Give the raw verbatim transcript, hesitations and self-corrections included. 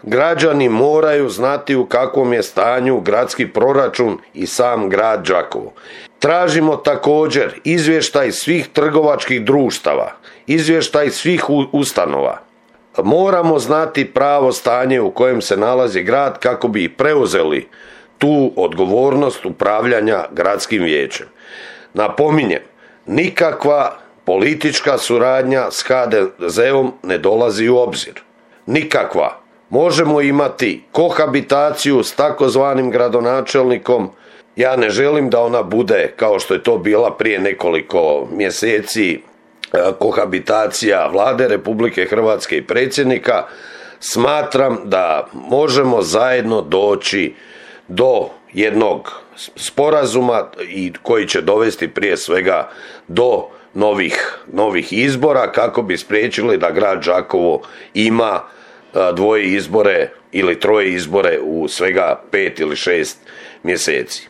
građani moraju znati u kakvom je stanju gradski proračun i sam grad Đakovo. Tražimo također izvještaj svih trgovačkih društava, izvještaj svih ustanova. Moramo znati pravo stanje u kojem se nalazi grad kako bi preuzeli tu odgovornost upravljanja gradskim vijećem. Napominjem, nikakva politička suradnja s ha de zeom ne dolazi u obzir. Nikakva. Možemo imati kohabitaciju s takozvanim gradonačelnikom. Ja ne želim da ona bude kao što je to bila prije nekoliko mjeseci kohabitacija Vlade Republike Hrvatske i predsjednika. Smatram da možemo zajedno doći do jednog sporazuma i koji će dovesti prije svega do novih, novih izbora kako bi spriječili da grad Đakovo ima dvoje izbore ili troje izbore u svega pet ili šest mjeseci.